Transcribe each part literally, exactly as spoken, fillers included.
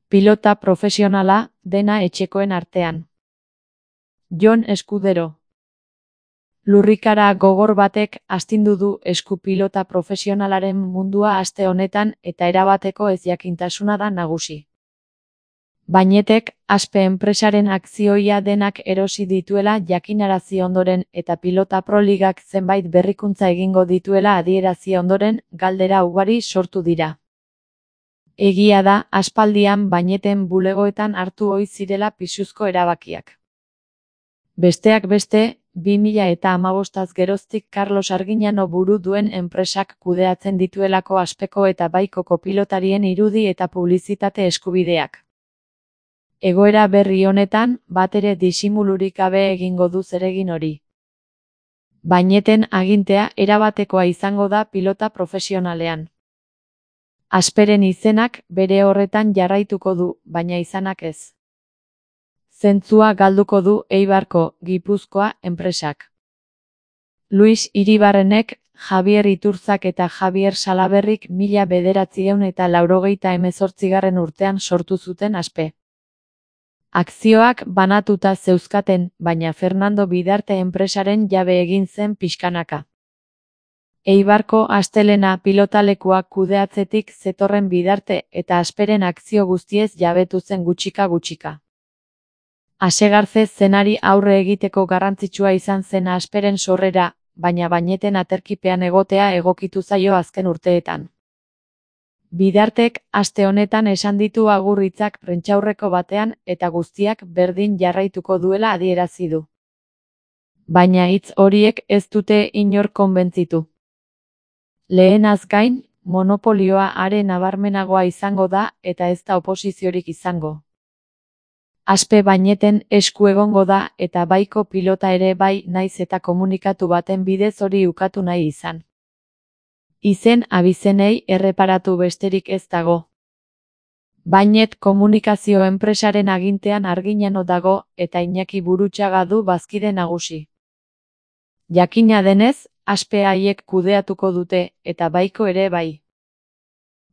Pilota profesionala, dena etxekoen artean. Jon Eskudero. Lurrikara gogor batek astindu du esku-pilota profesionalaren mundua aste honetan eta erabateko ezjakintasuna da nagusi. Bainetek Aspe enpresaren akzioia denak erosi dituela jakinarazi ondoren eta Pilota Pro Ligak zenbait berrikuntza egingo dituela adierazi ondoren galdera ugari sortu dira. Egia da, aspaldian Baineten bulegoetan hartu ohi zirela pisuzko erabakiak. Besteak beste, bi mila eta hamabostaz geroztik Carlos Arguiñano buru duen enpresak kudeatzen dituelako Aspeko eta Baikoko pilotarien irudi eta publizitate eskubideak. Egoera berri honetan, batere disimulurik gabe egingo du zeregin hori. Baineten agintea erabatekoa izango da pilota profesionalean. Asperen izenak bere horretan jarraituko du, baina izanak ez. Zentzua galduko du Eibarko, Gipuzkoa, enpresak. Luis Iribarrenek, Javier Iturzak eta Javier Salaberrik mila bederatziehun eta laurogeita hemezortzigarren urtean sortu zuten Aspe. Akzioak banatuta zeuzkaten, baina Fernando Bidarte enpresaren jabe egin zen pixkanaka. Eibarko Astelena pilotalekua kudeatzetik zetorren Bidarte eta Asperen akzio guztiez jabetu zen gutxika-gutxika. Asegarze zenari aurre egiteko garrantzitsua izan zen Asperen sorrera, baina Baineten aterkipean egotea egokitu zaio azken urteetan. Bidartek aste honetan esan ditu agur hitzak prentsaurreko batean eta guztiak berdin jarraituko duela adierazi du. Baina hitz horiek ez dute inor konbentzitu. Lehenaz gain, monopolioa are nabarmenagoa izango da eta ez da oposiziorik izango. Aspe Baineten esku egongo da eta Baiko pilota ere bai naiz eta komunikatu baten bidez hori ukatu nahi izan. Izen abizenei erreparatu besterik ez dago. Bainet komunikazio enpresaren agintean Arguiñano dago eta Iñaki Burutxaga du bazkide nagusi. Jakina denez, Aspe haiek kudeatuko dute eta Baiko ere bai.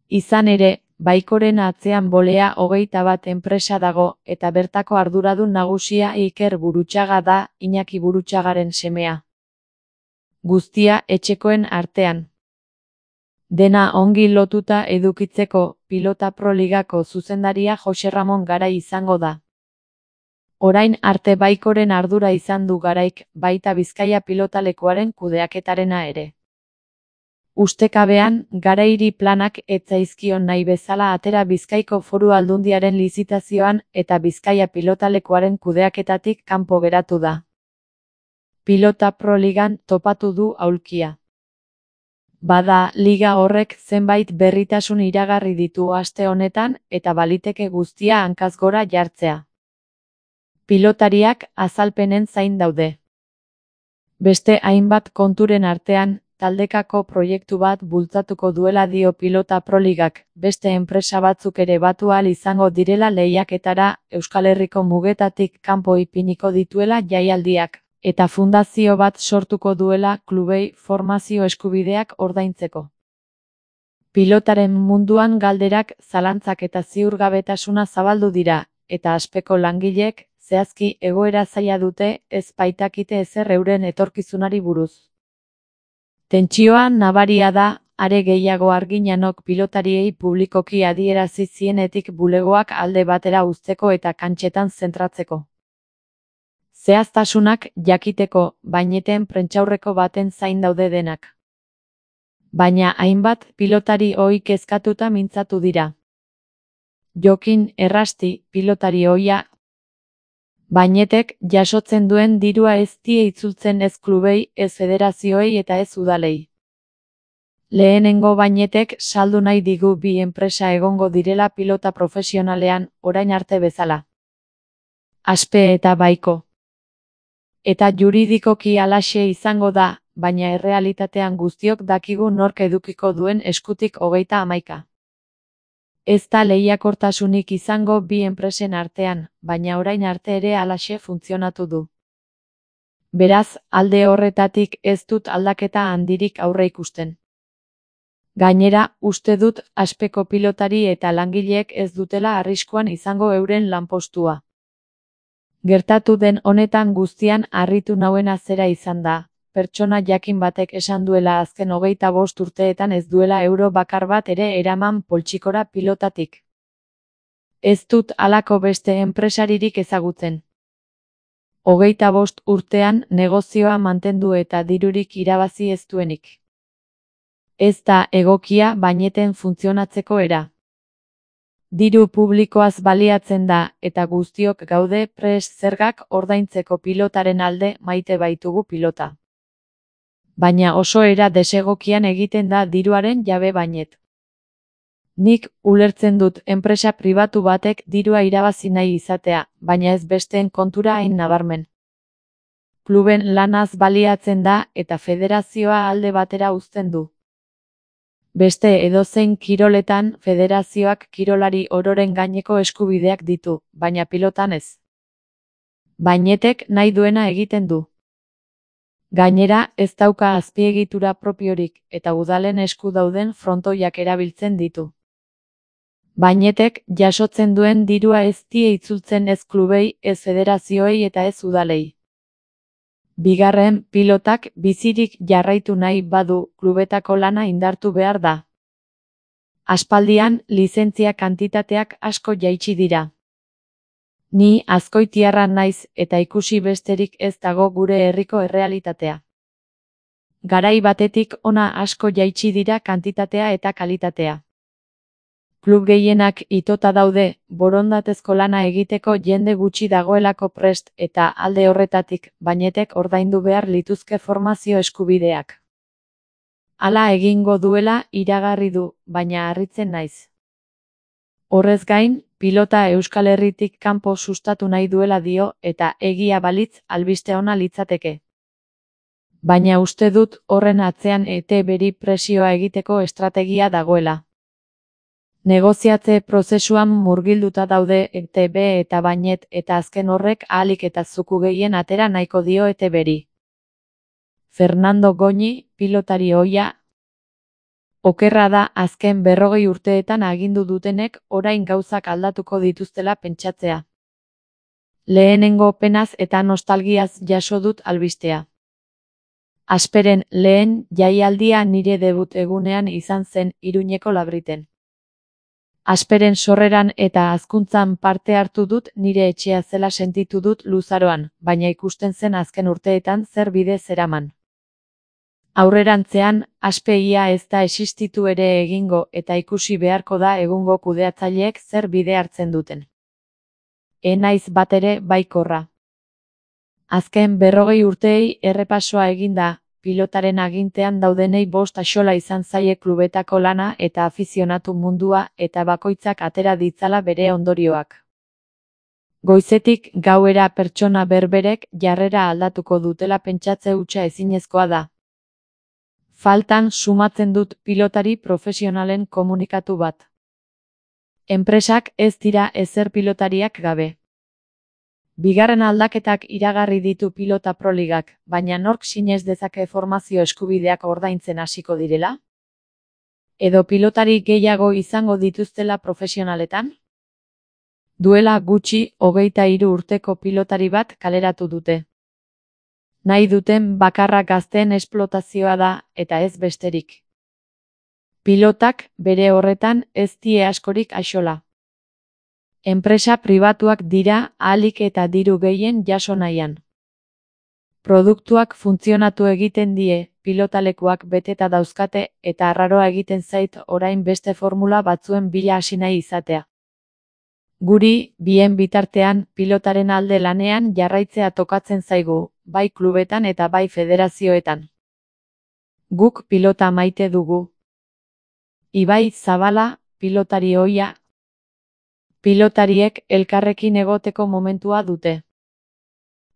Izan ere, Baikoren atzean bolea hogeita bat enpresa dago eta bertako arduradun nagusia Iker Burutxaga da, Iñaki Burutxagaren semea. Guztia etxekoen artean. Dena ongi lotuta edukitzeko, Pilota Pro Ligako zuzendaria Jose Ramon Garai izango da. Orain arte Baikoren ardura izan du Garaik, baita Bizkaia pilotalekuaren kudeaketarena ere. Ustekabean, Garairi planak ez zaizkion nahi bezala atera Bizkaiko Foru Aldundiaren lizitazioan eta Bizkaia pilotalekuaren kudeaketatik kanpo geratu da. Pilota Pro Ligan topatu du aulkia. Bada, liga horrek zenbait berritasun iragarri ditu aste honetan eta baliteke guztia hankaz gora jartzea. Pilotariak azalpenen zain daude. Beste hainbat konturen artean, taldekako proiektu bat bultzatuko duela dio Pilota Pro Ligak, beste enpresa batzuk ere batu ahal izango direla lehiaketara, Euskal Herriko mugetatik kanpo ipiniko dituela jaialdiak, eta fundazio bat sortuko duela klubei formazio eskubideak ordaintzeko. Pilotaren munduan galderak, zalantzak eta ziurgabetasuna zabaldu dira, eta Aspeko langileek, zehazki egoera zaila dute, ez baitakite ezer euren etorkizunari buruz. Tentsioa nabaria da, are gehiago Arguiñanok pilotariei publikoki adierazi zienetik bulegoak alde batera uzteko eta kantxetan zentratzeko. Zehaztasunak jakiteko, Baineten prentsaurreko baten zain daude denak. Baina hainbat pilotari ohi kezkatuta mintzatu dira. Jokin Errasti, pilotari ohia, Bainetek jasotzen duen dirua ez die itzultzen ez klubei, ez federazioei eta ez udalei. Lehenengo Bainetek saldu nahi digu bi enpresa egongo direla pilota profesionalean, orain arte bezala. Aspe eta Baiko. Eta juridikoki halaxe izango da, baina errealitatean guztiok dakigu nork edukiko duen eskutik hogeita hamaika. Ez da lehiakortasunik izango bi enpresen artean, baina orain arte ere halaxe funtzionatu du. Beraz, alde horretatik ez dut aldaketa handirik aurre ikusten. Gainera, uste dut Aspeko pilotari eta langileek ez dutela arriskuan izango euren lanpostua. Gertatu den honetan guztian harritu nauena zera izan da, pertsona jakin batek esan duela azken hogeita bost urteetan ez duela euro bakar bat ere eraman poltsikora pilotatik. Ez dut halako beste enpresaririk ezagutzen. Hogeita bost urtean negozioa mantendu eta dirurik irabazi ez duenik. Ez da egokia baineten funtzionatzeko era. Diru publikoaz baliatzen da eta guztiok gaude prest zergak ordaintzeko pilotaren alde maite baitugu pilota. Baina oso era desegokian egiten da diruaren jabe bainet. Nik ulertzen dut enpresa pribatu batek dirua irabazi nahi izatea, baina ez besteen kontura hain nabarmen. Kluben lanaz baliatzen da eta federazioa alde batera uzten du. Beste edozein kiroletan federazioak kirolari ororen gaineko eskubideak ditu, baina pilotan ez. Bainetek nahi duena egiten du. Gainera, ez dauka azpiegitura propiorik eta udalen esku dauden frontoiak erabiltzen ditu. Bainetek jasotzen duen dirua ez die itzultzen ez klubei, ez federazioei eta ez udalei. Bigarren, pilotak bizirik jarraitu nahi badu klubetako lana indartu behar da. Aspaldian, lizentzia kantitateak asko jaitsi dira. Ni azkoitiarra naiz eta ikusi besterik ez dago gure herriko errealitatea. Garai batetik hona asko jaitsi dira kantitatea eta kalitatea. Klub gehienak itota daude, borondatezko lana egiteko jende gutxi dagoelako prest eta alde horretatik bainetek ordaindu behar lituzke formazio eskubideak. Hala egingo duela iragarri du, baina harritzen naiz. Horrez gain, pilota Euskal Herritik kanpo sustatu nahi duela dio eta egia balitz albiste ona litzateke. Baina uste dut horren atzean E T Beri presioa egiteko estrategia dagoela. Negoziatze prozesuan murgilduta daude E T B eta bainet eta azken horrek ahalik eta zuku gehien atera nahiko dio E T Beri. Fernando Goñi, pilotari ohia. Okerra da azken berrogei urteetan agindu dutenek orain gauzak aldatuko dituztela pentsatzea. Lehenengo penaz eta nostalgiaz jaso dut albistea. Asperen lehen jaialdia nire debut egunean izan zen Iruñeko Labriten. Asperen sorreran eta hazkuntzan parte hartu dut nire etxea zela sentitu dut luzaroan, baina ikusten zen azken urteetan zer bide zeraman. Aurrerantzean, Aspe ia ez da existitu ere egingo eta ikusi beharko da egungo kudeatzaileek zer bide hartzen duten. E naiz batere baikorra. Azken berrogei urteei errepasoa eginda, pilotaren agintean daudenei bost axola izan zaie klubetako lana eta afizionatu mundua eta bakoitzak atera ditzala bere ondorioak. Goizetik gauera pertsona berberek jarrera aldatuko dutela pentsatze hutsa ezinezkoa da. Faltan sumatzen dut pilotari profesionalen komunikatu bat. Enpresak ez dira ezer pilotariak gabe. Bigarren aldaketak iragarri ditu pilota proligak, baina nork sinez dezake formazio eskubideak ordaintzen hasiko direla? Edo pilotari gehiago izango dituztela profesionaletan? Duela gutxi hogeita hiru urteko pilotari bat kaleratu dute. Nahi duten bakarra gazteen esplotazioa da eta ez besterik. Pilotak bere horretan ez die askorik axola. Enpresa pribatuak dira ahalik eta diru gehien jaso nahian. Produktuak funtzionatu egiten die, pilotalekuak beteta dauzkate eta arraroa egiten zait orain beste formula batzuen bila hasi nahi izatea. Guri, bien bitartean, pilotaren alde lanean jarraitzea tokatzen zaigu, bai klubetan eta bai federazioetan. Guk pilota maite dugu. Ibai Zabala, pilotari ohia. Pilotariek elkarrekin egoteko momentua dute.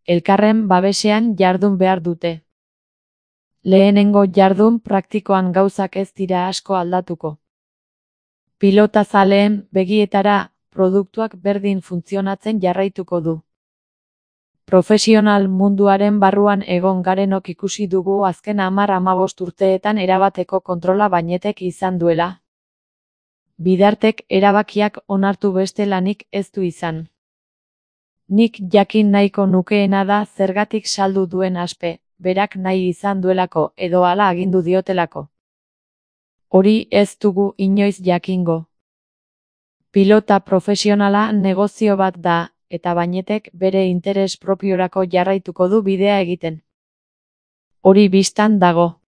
Elkarren babesean jardun behar dute. Lehenengo jardun praktikoan gauzak ez dira asko aldatuko. Pilota zaleen begietara produktuak berdin funtzionatzen jarraituko du. Profesional munduaren barruan egon garenok ikusi dugu azken hamar hamabost urteetan erabateko kontrola Bainetek izan duela. Bidartek erabakiak onartu beste lanik ez du izan. Nik jakin nahiko nukeena da zergatik saldu duen Aspe, berak nahi izan duelako edo hala agindu diotelako. Hori ez dugu inoiz jakingo. Pilota profesionala negozio bat da, eta Bainetek bere interes propiorako jarraituko du bidea egiten. Hori bistan dago.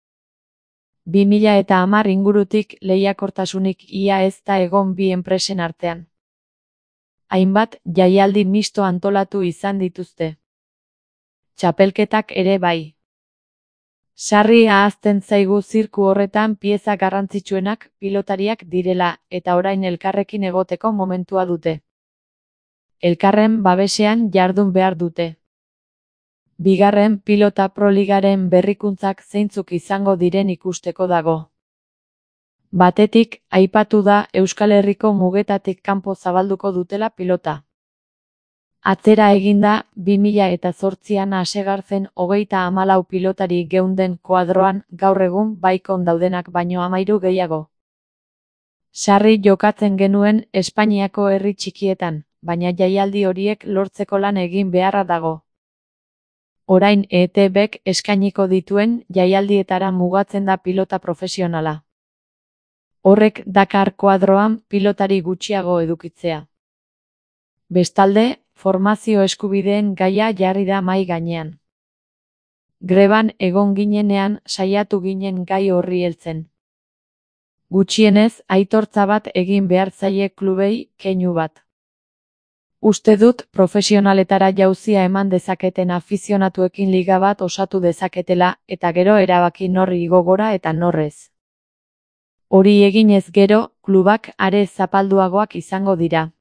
bi mila eta hamar ingurutik lehiakortasunik ia ez da egon bi enpresen artean. Hainbat jaialdi misto antolatu izan dituzte. Txapelketak ere bai. Sarri ahazten zaigu zirku horretan pieza garrantzitsuenak pilotariak direla eta orain elkarrekin egoteko momentua dute. Elkarren babesean jardun behar dute. Bigarren pilota proligaren berrikuntzak zeintzuk izango diren ikusteko dago. Batetik, aipatu da Euskal Herriko mugetatik kanpo zabalduko dutela pilota. Atzera eginda, bi mila eta zortzian hasegarzen hogeita hamalau pilotari geunden koadroan gaur egun baikon daudenak baino hamairu gehiago. Sarri jokatzen genuen Espainiako herri txikietan, baina jaialdi horiek lortzeko lan egin beharra dago. Orain E T Bek eskainiko dituen jaialdietara mugatzen da pilota profesionala. Horrek dakar koadroan pilotari gutxiago edukitzea. Bestalde, formazio eskubideen gaia jarri da mahai gainean. Greban egon ginenean saiatu ginen gai horri heltzen. Gutxienez, aitortza bat egin behar zaie klubei, keinu bat. Uste dut profesionaletara jauzia eman dezaketen afizionatuekin liga bat osatu dezaketela eta gero erabaki nor igo gora eta norrez. Hori eginez gero, klubak are zapalduagoak izango dira.